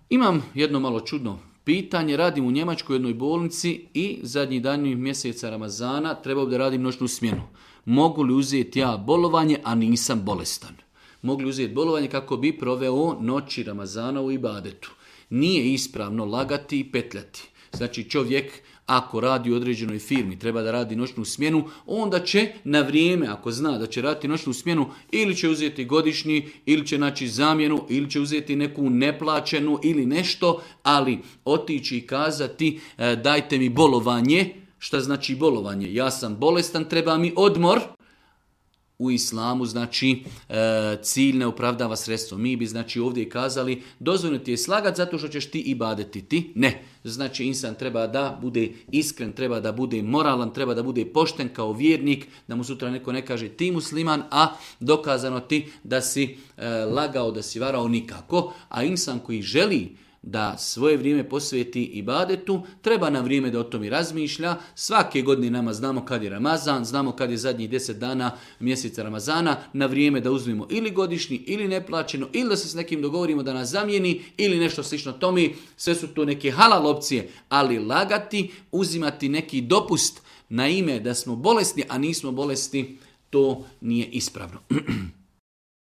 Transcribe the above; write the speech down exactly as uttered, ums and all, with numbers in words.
Imam jedno malo čudno pitanje. Radim u Njemačkoj jednoj bolnici i zadnji dan mjeseca Ramazana trebao bi da radim noćnu smjenu. Mogu li uzeti ja bolovanje, a nisam bolestan? Mogu li uzeti bolovanje kako bi proveo noći Ramazana u ibadetu? Nije ispravno lagati i petljati. Znači čovjek ako radi u određenoj firmi, treba da radi noćnu smjenu, onda će na vrijeme, ako zna da će raditi noćnu smjenu, ili će uzeti godišnji, ili će naći zamjenu, ili će uzeti neku neplaćenu ili nešto, ali otići i kazati e, dajte mi bolovanje. Šta znači bolovanje? Ja sam bolestan, treba mi odmor. U islamu znači e, cilj ne opravdava sredstvo. Mi bi znači ovdje kazali dozvoljeno ti je slagat zato što ćeš ti ibadeti ti. Ne. Znači insan treba da bude iskren, treba da bude moralan, treba da bude pošten kao vjernik, da mu sutra neko ne kaže ti musliman, a dokazano ti da si e, lagao, da si varao nikako. A insan koji želi da svoje vrijeme posveti ibadetu, treba na vrijeme da o tom i razmišlja. Svake godine nama znamo kad je Ramazan, znamo kad je zadnjih deset dana mjeseca Ramazana, na vrijeme da uzmemo ili godišnji ili neplaćeno, ili da se s nekim dogovorimo da nas zamijeni ili nešto slično tome. Sve su to neke halal opcije, ali lagati, uzimati neki dopust na ime da smo bolesni, a nismo bolesti, to nije ispravno.